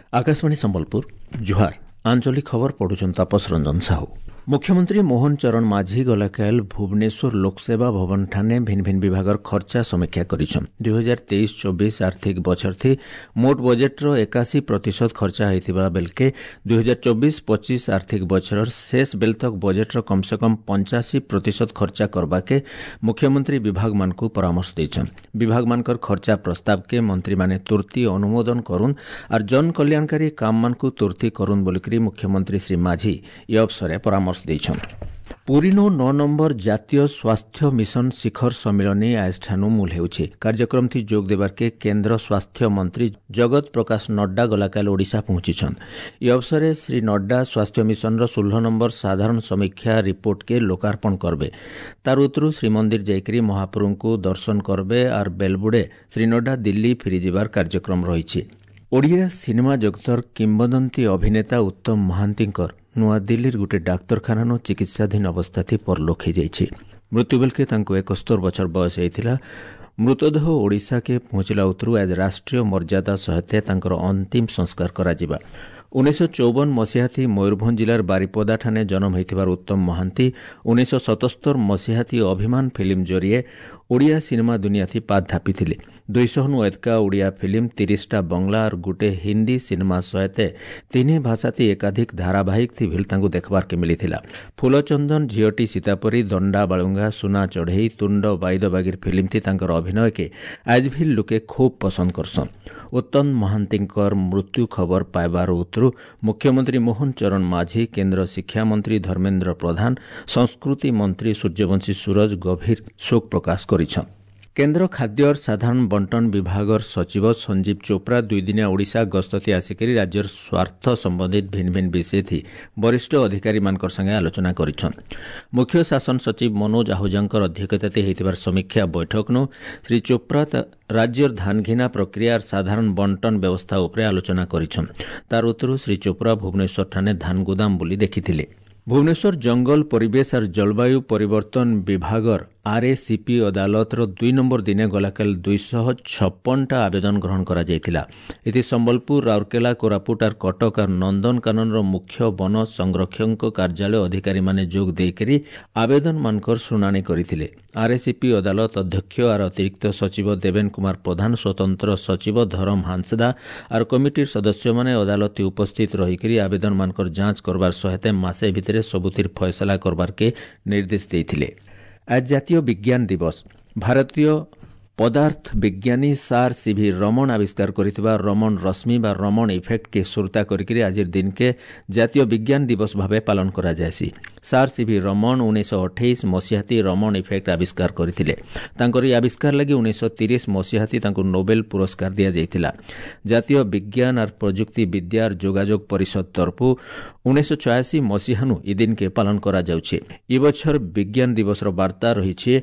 ଆକାଶବାଣୀ ସମ୍ବଲପୁର, ଜୁହାର। ଆଞ୍ଚଳିକ ଖବର ପଢୁଛନ୍ତି ତାପସ ରଞ୍ଜନ ସାହୁ। ମୁଖ୍ୟମନ୍ତ୍ରୀ ମୋହନ ଚରଣ ମାଝୀ ଗଲାକାଲ ଭୁବନେଶ୍ୱର ଲୋକସେବା ଭବନ ଠାନେ ଭିନ୍ନ ଭିନ୍ନ ବିଭାଗର ଖର୍ଚ୍ଚା ସମୀକ୍ଷା କରିଛନ୍। 2023-24 ଆର୍ଥିକ ବଛରଥି ମୋଟ ବଜେଟ୍ର 81% ଖର୍ଚ୍ଚା ହୋଇଥିବା ବେଲକେ 2024-25 ଆର୍ଥିକ ବଛରର ଶେଷ ବେଲ ତକ ବଜେଟ୍ର କମ୍ ସେ କମ୍ 85% ଖର୍ଚ୍ଚା କରବାକେ ମୁଖ୍ୟମନ୍ତ୍ରୀ ବିଭାଗମାନଙ୍କୁ ପରାମର୍ଶ ଦେଇଛନ୍। ବିଭାଗମାନଙ୍କର ଖର୍ଚ୍ଚା ପ୍ରସ୍ତାବକେ ମନ୍ତ୍ରୀମାନେ ତୁର୍ତ୍ତି ଅନୁମୋଦନ କରୁନ୍ ଆର୍ ଜନକଲ୍ୟାଣକାରୀ କାମମାନଙ୍କୁ ତୁର୍ତ୍ତି କରୁନ୍ ବୋଲିକରି ମୁଖ୍ୟମନ୍ତ୍ରୀ ଶ୍ରୀ ମାଝୀ ଏ ଅବସରେ ପରାମର୍ଶ ଦେଇଛନ୍। ପୁରୀନୁ 9 ନମ୍ବର ଜାତୀୟ ସ୍ୱାସ୍ଥ୍ୟ ମିଶନ ଶିଖର ସମ୍ମିଳନୀ ଆଜଠାନୁ ମୂଲ ହେଉଛି। କାର୍ଯ୍ୟକ୍ରମଥି ଯୋଗ ଦେବାର୍କେ କେନ୍ଦ୍ର ସ୍ୱାସ୍ଥ୍ୟ ମନ୍ତ୍ରୀ ଜଗତ ପ୍ରକାଶ ନଡ୍ଡା ଗଲାକାଲ ଓଡ଼ିଶା ପହଞ୍ଚିଛନ୍। ଏ ଅବସରେ ଶ୍ରୀ ନଡ୍ଡା ସ୍ୱାସ୍ଥ୍ୟ ମିଶନର 16 ନମ୍ବର ସାଧାରଣ ସମୀକ୍ଷା ରିପୋର୍ଟକେ ଲୋକାର୍ପଣ କରବେ। ତାର ଉତ୍ତରୁ ଶ୍ରୀମନ୍ଦିର ଯାଇକରି ମହାପ୍ରଭୁଙ୍କୁ ଦର୍ଶନ କରବେ ଆର୍ ବେଲବୁଡ଼େ ଶ୍ରୀ ନଡ୍ଡା ଦିଲ୍ଲୀ ଫେରିଯିବାର କାର୍ଯ୍ୟକ୍ରମ ରହିଛି। ଓଡ଼ିଆ ସିନେମା ଜଗତର କିମ୍ବଦନ୍ତୀ ଅଭିନେତା ଉତ୍ତମ ମହାନ୍ତିଙ୍କର ନୂଆଦିଲ୍ଲୀର ଗୋଟେ ଡାକ୍ତରଖାନାନୁ ଚିକିତ୍ସାଧୀନ ଅବସ୍ଥାଥି ପରଲୋକ ହୋଇଯାଇଛି। ମୃତ୍ୟୁ ବେଲକେ ତାଙ୍କୁ 71 ବଛର ବୟସ ହେଇଥିଲା। ମୃତଦେହ ଓଡ଼ିଶାକେ ପହଞ୍ଚିଲା ଉତ୍ତରୁ ଆଜ ରାଷ୍ଟ୍ରୀୟ ମର୍ଯ୍ୟାଦା ସହିତ ତାଙ୍କର ଅନ୍ତିମ ସଂସ୍କାର କରାଯିବା। 1954 ମସିହାଥି ମୟୂରଭଞ୍ଜ ଜିଲ୍ଲାର ବାରିପଦାଠାନେ ଜନ୍ମ ହୋଇଥିବାର ଉତ୍ତମ ମହାନ୍ତି 1977 ମସିହାଥି ଅଭିମାନ ଫିଲ୍ମ ଜରିଏ ଓଡ଼ିଆ ସିନେମା ଦୁନିଆଥି ପାଦ ଥାପିଥିଲେ। 200ନୁ ଏତକା ଓଡ଼ିଆ ଫିଲ୍ମ, 30ଟା ବଙ୍ଗଳା ଆର୍ ଗୋଟେ ହିନ୍ଦୀ ସିନେମା ସହିତ ତିନି ଭାଷାଥି ଏକାଧିକ ଧାରାବାହିକ ଥି ଭିଲ ତାଙ୍କୁ ଦେଖବାର୍କେ ମିଳିଥିଲା। ଫୁଲଚନ୍ଦନ, ଝିଅଟି ସୀତାପରି, ଦଣ୍ଡା ବାଳୁଙ୍ଗା, ସୁନା ଚଢ଼େଇ, ତୁଣ୍ଡ ବାଇଦ ବାଗିର ଫିଲ୍ମଥି ତାଙ୍କର ଅଭିନୟକେ ଆଜ୍ ଭିଲ୍ ଲୋକେ ଖୁବ୍ ପସନ୍ଦ କରସନ୍। ଉତ୍ତମ ମହାନ୍ତିଙ୍କର ମୃତ୍ୟୁ ଖବର ପାଇବାର ଉତ୍ତରୁ ମୁଖ୍ୟମନ୍ତ୍ରୀ ମୋହନ ଚରଣ ମାଝୀ, କେନ୍ଦ୍ର ଶିକ୍ଷାମନ୍ତ୍ରୀ ଧର୍ମେନ୍ଦ୍ର ପ୍ରଧାନ, ସଂସ୍କୃତି ମନ୍ତ୍ରୀ ସୂର୍ଯ୍ୟବଂଶୀ ସୂରଜ ଗଭୀର ଶୋକ ପ୍ରକାଶ କରିଛନ୍। କେନ୍ଦ୍ର ଖାଦ୍ୟ ସାଧାରଣ ବଣ୍ଟନ ବିଭାଗର ସଚିବ ସଞ୍ଜୀବ ଚୋପ୍ରା ଦୁଇଦିନିଆ ଓଡ଼ିଶା ଗସ୍ତଥି ଆସିକରି ରାଜ୍ୟର ସ୍ୱାର୍ଥ ସମ୍ବନ୍ଧିତ ଭିନ୍ନ ଭିନ୍ନ ବିଷୟଥି ବରିଷ୍ଠ ଅଧିକାରୀମାନଙ୍କର ସାଙ୍ଗେ ଆଲୋଚନା କରିଛନ୍। ମୁଖ୍ୟ ଶାସନ ସଚିବ ମନୋଜ ଆହୁଜାଙ୍କର ଅଧ୍ୟକ୍ଷତାରେ ହୋଇଥିବାର ସମୀକ୍ଷା ବୈଠକନୁ ଶ୍ରୀ ଚୋପ୍ରା ରାଜ୍ୟର ଧାନଘିନା ପ୍ରକ୍ରିୟାର ସାଧାରଣ ବଣ୍ଟନ ବ୍ୟବସ୍ଥା ଉପରେ ଆଲୋଚନା କରିଛନ୍। ତାର ଉତ୍ତରୁ ଶ୍ରୀ ଚୋପ୍ରା ଭୁବନେଶ୍ୱର ଠାନେ ଧାନ ଗୋଦାମ ବୋଲି ଦେଖିଥିଲେ। ଭୁବନେଶ୍ୱର ଜଙ୍ଗଲ ପରିବେଶ ଆର୍ ଜଳବାୟୁ ପରିବର୍ତ୍ତନ ବିଭାଗର ଆର୍ଏସିପି ଅଦାଲତର 2 ନମ୍ବର ଦିନେ ଗଲାକାଲି 256ଟା ଆବେଦନ ଗ୍ରହଣ କରାଯାଇଥିଲା। ଏଥି ସମ୍ବଲପୁର, ରାଉରକେଲା, କୋରାପୁଟ ଆର୍ କଟକ ଆର୍ ନନ୍ଦନକାନନର ମୁଖ୍ୟ ବନ ସଂରକ୍ଷକଙ୍କ କାର୍ଯ୍ୟାଳୟ ଅଧିକାରୀମାନେ ଯୋଗ ଦେଇକରି ଆବେଦନମାନଙ୍କର ଶୁଣାଣି କରିଥିଲେ। ଆର୍ଏସିପି ଅଦାଲତ ଅଧ୍ୟକ୍ଷ ଆର୍ ଅତିରିକ୍ତ ସଚିବ ଦେବେନ କୁମାର ପ୍ରଧାନ, ସ୍ୱତନ୍ତ୍ର ସଚିବ ଧରମ ହାଂସଦା ଆର୍ କମିଟିର ସଦସ୍ୟମାନେ ଅଦାଲତ ଉପସ୍ଥିତ ରହିକରି ଆବେଦନମାନଙ୍କର ଯାଞ୍ଚ କରବାର ସହିତ ମାସେ ଭିତରେ ସବୁଥିର ଫଏସଲା କରବାର୍କେ ନିର୍ଦ୍ଦେଶ ଦେଇଥିଲେ। ଆଜ ଜାତୀୟ ବିଜ୍ଞାନ ଦିବସ। ଭାରତୀୟ ପଦାର୍ଥ ବିଜ୍ଞାନୀ ସାର୍ ସିଭି ରମଣ ଆବିଷ୍କାର କରିଥିବା ରମଣ ରଶ୍ମି ବା ରମଣ ଇଫେକ୍ଟକେ ସୁରତା କରିକିରି ଆଜିର ଦିନକେ ଜାତୀୟ ବିଜ୍ଞାନ ଦିବସ ଭାବେ ପାଳନ କରାଯାଏସି। ସାର୍ ସିଭି ରମଣ 1928 ମସିହାତି ରମଣ ଇଫେକ୍ଟ ଆବିଷ୍କାର କରିଥିଲେ। ତାଙ୍କର ଏହି ଆବିଷ୍କାର ଲାଗି 1930 ମସିହାତି ତାଙ୍କୁ ନୋବେଲ ପୁରସ୍କାର ଦିଆଯାଇଥିଲା। ଜାତୀୟ ବିଜ୍ଞାନ ଆର୍ ପ୍ରଯୁକ୍ତି ବିଦ୍ୟାର ଯୋଗାଯୋଗ ପରିଷଦ ତରଫୁ 1986 ମସିହାନୁ ଇ ଦିନକେ ପାଳନ କରାଯାଉଛି। ଏ ବଛର ବିଜ୍ଞାନ ଦିବସର ବାର୍ତ୍ତା ରହିଛି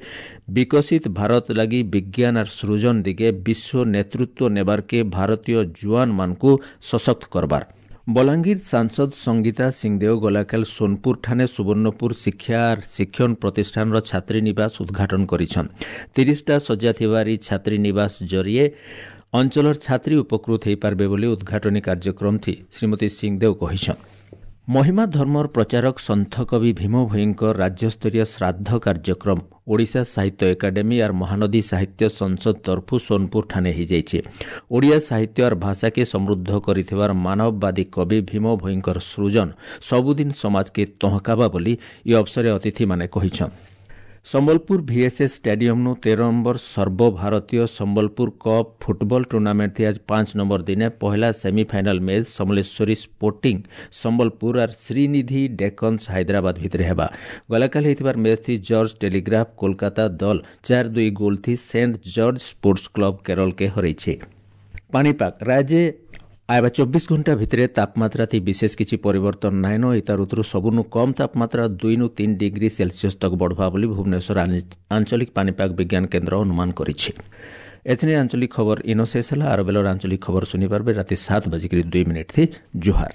ବିକଶିତ ଭାରତ ଲାଗି ବିଜ୍ଞାନ ଆର୍ ସୃଜନ ଦିଗେ ବିଶ୍ୱ ନେତୃତ୍ୱ ନେବାର୍କେ ଭାରତୀୟ ଜୁଆନମାନଙ୍କୁ ସଶକ୍ତ କରବାର। ବଲାଙ୍ଗୀର ସାଂସଦ ସଂଗୀତା ସିଂଦେଓ ଗଲାକାଲ ସୋନପୁର ଠାନେ ସୁବର୍ଣ୍ଣପୁର ଶିକ୍ଷା ଶିକ୍ଷଣ ପ୍ରତିଷ୍ଠାନର ଛାତ୍ରୀନିବାସ ଉଦ୍ଘାଟନ କରିଛନ୍। 30ଟା ଶଯ୍ୟା ଥିବାର ଇ ଛାତ୍ରୀନିବାସ ଜରିଏ ଅଞ୍ଚଳର ଛାତ୍ରୀ ଉପକୃତ ହୋଇପାରିବେ ବୋଲି ଉଦ୍ଘାଟନୀ କାର୍ଯ୍ୟକ୍ରମ ଥି ଶ୍ରୀମତୀ ସିଂଦେଓ କହିଛନ୍। ମହିମା ଧର୍ମର ପ୍ରଚାରକ ସନ୍ଥକବି ଭୀମ ଭୋଇଙ୍କ ରାଜ୍ୟସ୍ତରୀୟ ଶ୍ରାଦ୍ଧ କାର୍ଯ୍ୟକ୍ରମ ଓଡ଼ିଶା ସାହିତ୍ୟ ଏକାଡେମୀ ଆର୍ ମହାନଦୀ ସାହିତ୍ୟ ସଂସଦ ତରଫୁ ସୋନପୁର ଠାନେ ହୋଇଯାଇଛି। ଓଡ଼ିଆ ସାହିତ୍ୟ ଆର୍ ଭାଷାକେ ସମୃଦ୍ଧ କରିଥିବାର ମାନବବାଦୀ କବି ଭୀମ ଭୋଇଙ୍କର ସୃଜନ ସବୁଦିନ ସମାଜକେ ତହକାବା ବୋଲି ଏ ଅବସରେ ଅତିଥିମାନେ କହିଛନ୍। ସମ୍ବଲପୁର ଭିଏସ୍ଏସ୍ ଷ୍ଟାଡିୟମ୍ନୁ 13 ନମ୍ବର ସର୍ବଭାରତୀୟ ସମ୍ବଲପୁର କପ୍ ଫୁଟବଲ ଟୁର୍ଣ୍ଣାମେଣ୍ଟ ଆଜ 5 ନମ୍ବର ଦିନେ ପହିଲା semifinal match Samaleswari sporting Sambalpur ଆର୍ ଶ୍ରୀନିଧି ଡେକନ୍ସ ହାଇଦ୍ରାବାଦ ଭିତରେ ହେବା। ଗଲାକାଲି ହେଇଥିବାର ମ୍ୟାଚ୍ ଥି ଜର୍ଜ ଟେଲିଗ୍ରାଫ କୋଲକାତା ଦଲ 4-2 ଗୋଲ ଥି ସେଣ୍ଟ ଜର୍ଜ ସ୍ପୋର୍ଟସ କ୍ଲବ କେରଳକେ ହରାଇছে। ପାଣିପାଗ ରାଜ୍ୟ ଆଇବା 24 ଘଣ୍ଟା ଭିତରେ ତାପମାତ୍ରା ଥି ବିଶେଷ କିଛି ପରିବର୍ତ୍ତନ ନାଇଁନ। ଏତା ଋତୁରୁ ସବୁନୁ କମ୍ ତାପମାତ୍ରା 2 3 ଡିଗ୍ରୀ ସେଲସିୟସ୍ ତକ ବଢ଼ବା ବୋଲି ଭୁବନେଶ୍ୱର ଆଞ୍ଚଳିକ ପାଣିପାଗ ବିଜ୍ଞାନ କେନ୍ଦ୍ର ଅନୁମାନ କରିଛି। ଏଥିରେ ଆଞ୍ଚଳିକ ଖବର ଇନ ଶେଷ ହେଲା। ଆର ବେଲର ଆଞ୍ଚଳିକ ଖବର ଶୁଣିପାରିବେ ରାତି 7:02 ଥି। ଜୁହାର।